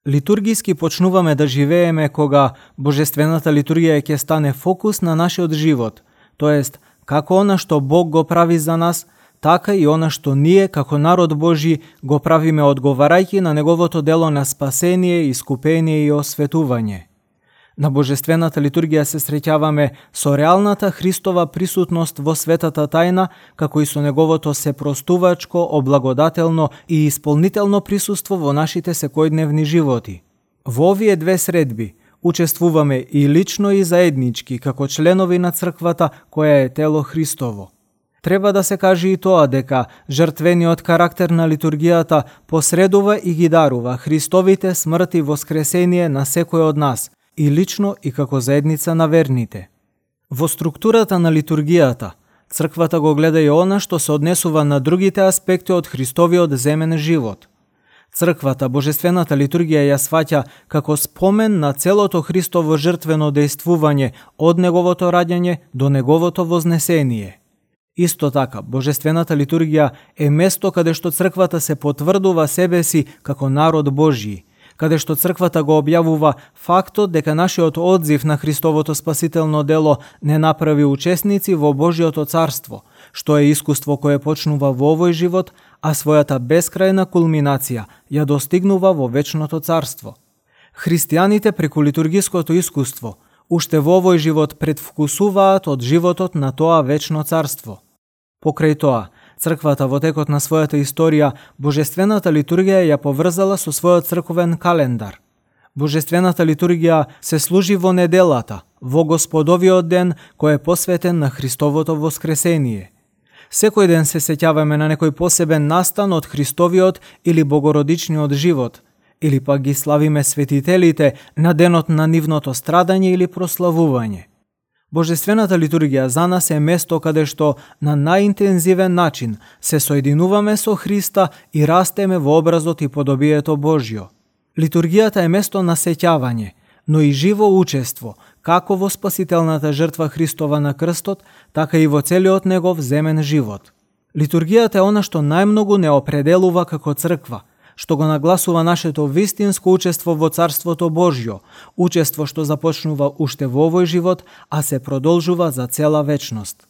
Литургиски почнуваме да живееме кога божествената литургија ќе стане фокус на нашиот живот, тоест како она што Бог го прави за нас, така и она што ние како народ Божи го правиме одговарајќи на неговото дело на спасение, искупение и осветување. На божествената литургија се среќаваме со реалната Христова присутност во светата тајна, како и со неговото сепростувачко, облагодателно и исполнително присуство во нашите секојдневни животи. Во овие две средби учествуваме и лично и заеднички како членови на црквата која е тело Христово. Треба да се каже и тоа дека жртвениот карактер на литургијата посредува и ги дарува Христовите смрт и воскресение на секој од нас, и лично и како заедница на верните. Во структурата на литургијата, црквата го гледа и она што се однесува на другите аспекти од Христовиот земен живот. Црквата божествената литургија ја сваќа како спомен на целото Христово жртвено дејствување од неговото раѓање до неговото вознесение. Исто така, божествената литургија е место каде што црквата се потврдува себе си како народ Божји, каде што црквата го објавува фактот дека нашиот одзив на Христовото спасително дело не направи учесници во Божјото царство, што е искуство кое почнува во овој живот, а својата бескрајна кулминација ја достигнува во вечното царство. Христијаните преку литургиското искуство уште во овој живот предвкусуваат од животот на тоа вечно царство. Покрај тоа, црквата во текот на својата историја, божествената литургија ја поврзала со својот црковен календар. Божествената литургија се служи во неделата, во Господовиот ден, кој е посветен на Христовото воскресение. Секој ден се сеќаваме на некој посебен настан од Христовиот или богородичниот живот, или пак ги славиме светителите на денот на нивното страдање или прославување. Божествената литургија за нас е место каде што на најинтензивен начин се соединуваме со Христа и растеме во образот и подобието Божјо. Литургијата е место на сеќавање, но и живо учество, како во спасителната жртва Христова на крстот, така и во целиот негов земен живот. Литургијата е она што најмногу не определува како црква, што го нагласува нашето вистинско учество во Царството Божјо, учество што започнува уште во овој живот, а се продолжува за цела вечност.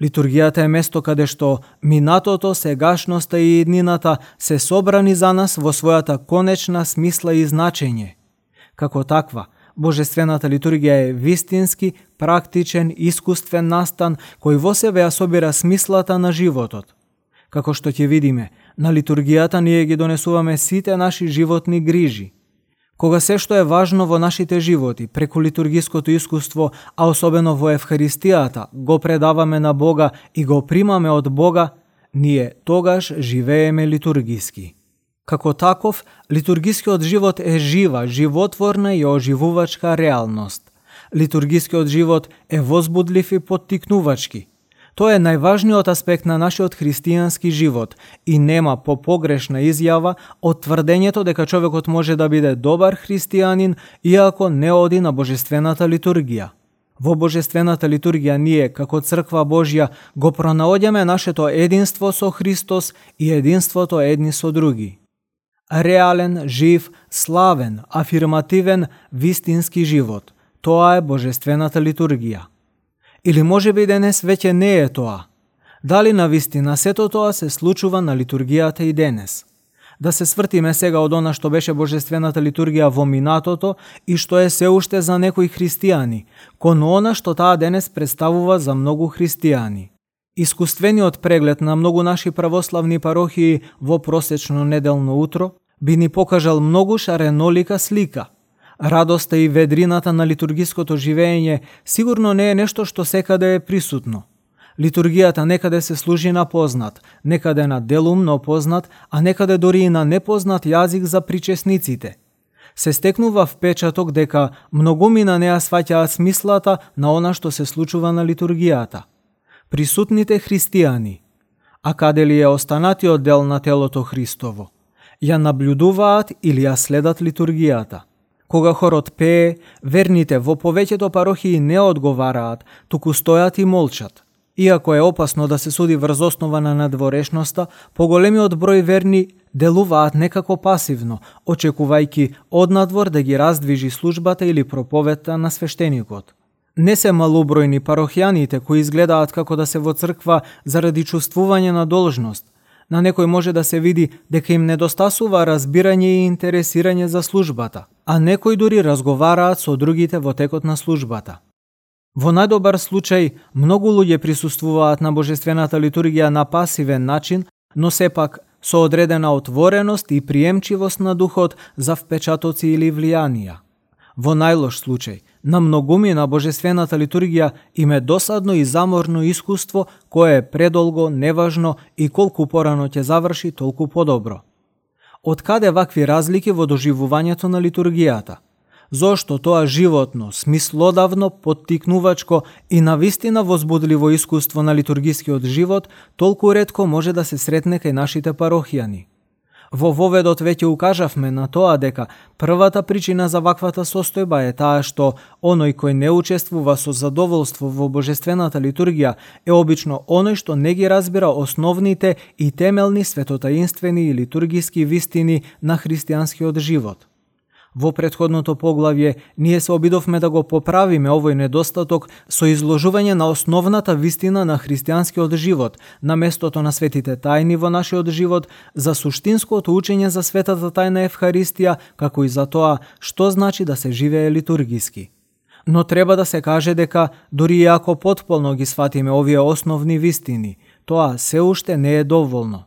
Литургијата е место каде што минатото, сегашноста и иднината се собрани за нас во својата конечна смисла и значење. Како таква, божествената литургија е вистински, практичен, искуствен настан кој во себе ја собира смислата на животот. Како што ќе видиме, на литургијата ние ги донесуваме сите наши животни грижи. Кога се што е важно во нашите животи, преку литургиското искуство, а особено во Евхаристијата, го предаваме на Бога и го примаме од Бога, ние тогаш живееме литургиски. Како таков, литургискиот живот е жива, животворна и оживувачка реалност. Литургискиот живот е возбудлив и поттикнувачки. Тоа е најважниот аспект на нашиот христијански живот и нема попогрешна изјава од тврдењето дека човекот може да биде добар христијанин иако не оди на божествената литургија. Во божествената литургија ние, како црква Божја, го пронаоѓаме нашето единство со Христос и единството едни со други. Реален, жив, славен, афирмативен, вистински живот. Тоа е божествената литургија. Или може би денес веќе не е тоа. Дали навистина сето тоа се случува на литургијата и денес? Да се свртиме сега од она што беше божествената литургија во минатото и што е се уште за некои христијани, кон она што таа денес представува за многу христијани. Искуствениот преглед на многу наши православни парохии во просечно неделно утро би ни покажал многу шаренолика слика. Радоста и ведрината на литургиското живење сигурно не е нешто што секаде е присутно. Литургијата некаде се служи на познат, некаде на делумно познат, а некаде дори и на непознат јазик за причесниците. Се стекнува впечаток дека многумина неа сваќаат смислата на она што се случува на литургијата. Присутните христијани, а каде ли е останатиот дел на телото Христово, ја наблюдуваат или ја следат литургијата. Кога хорот пее, верните во повеќето парохии не одговараат, туку стојат и молчат. Иако е опасно да се суди врз основа на надворешноста, поголемиот број верни делуваат некако пасивно, очекувајќи однадвор да ги раздвижи службата или проповедта на свештеникот. Не се малобројни парохијаните кои изгледаат како да се во црква заради чувствување на должност. На некој може да се види дека им недостасува разбирање и интересирање за службата, а некои дури разговараат со другите во текот на службата. Во најдобар случај, многу луѓе присуствуваат на божествената литургија на пасивен начин, но сепак со одредена отвореност и приемчивост на духот за впечатоци или влијанија. Во најлош случај, на многуми на божествената литургија им е досадно и заморно искуство кое е предолго, неважно и колку порано ќе заврши, толку подобро. Од каде вакви разлики во доживувањето на литургијата? Зошто тоа животно, смислодавно, поттикнувачко и навистина возбудливо искуство на литургискиот живот толку ретко може да се сретне кај нашите парохијани? Во воведот веќе укажавме на тоа дека првата причина за ваквата состојба е таа што оној кој не учествува со задоволство во божествената литургија е обично оној што не ги разбира основните и темелни светотаинствени и литургиски вистини на христијанскиот живот. Во претходното поглавје ние се обидовме да го поправиме овој недостаток со изложување на основната вистина на христијанскиот живот, на местото на светите тајни во нашиот живот, за суштинското учење за светата тајна Евхаристија, како и за тоа што значи да се живее литургиски. Но треба да се каже дека, дури и ако потполно ги сватиме овие основни вистини, тоа се уште не е доволно.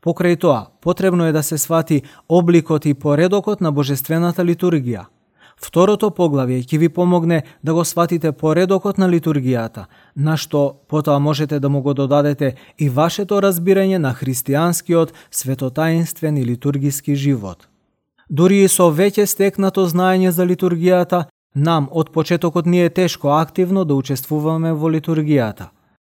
Покрај тоа, потребно е да се свати обликот и поредокот на божествената литургија. Второто поглавје ќе ви помогне да го сватите поредокот на литургијата, на што потоа можете да му го додадете и вашето разбирање на христијанскиот светотаинствен и литургиски живот. Дури и со веќе стекнато знаење за литургијата, нам од почетокот ни е тешко активно да учествуваме во литургијата.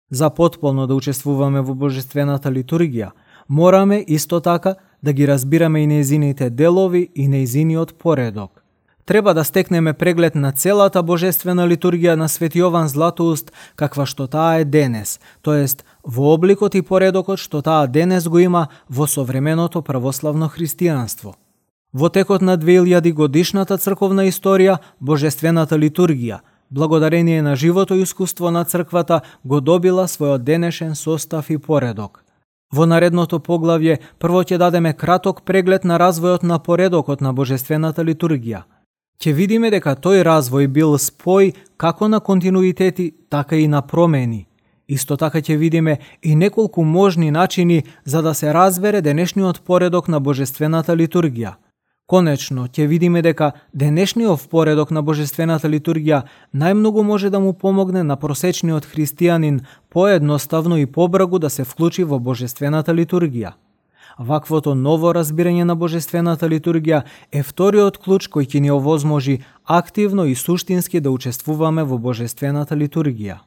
За потполно да учествуваме во божествената литургија, мораме исто така да ги разбираме и нејзините делови и нејзиниот поредок. Треба да стекнеме преглед на целата божествена литургија на Свети Јован Златоуст, каква што таа е денес, тоест во обликот и поредокот што таа денес го има во современото православно христијанство. Во текот на 2000 годишната црковна историја, божествената литургија, благодарение на живото искуство на црквата, го добила својот денешен состав и поредок. Во наредното поглавје прво ќе дадеме краток преглед на развојот на поредокот на божествената литургија. Ќе видиме дека тој развој бил спој како на континуитети, така и на промени. Исто така ќе видиме и неколку можни начини за да се разбере денешниот поредок на божествената литургија. Конечно, ќе видиме дека денешниот поредок на божествената литургија најмногу може да му помогне на просечниот христијанин поедноставно и побрзо да се вклучи во божествената литургија. Ваквото ново разбирање на божествената литургија е вториот клуч кој ќе ни овозможи активно и суштински да учествуваме во божествената литургија.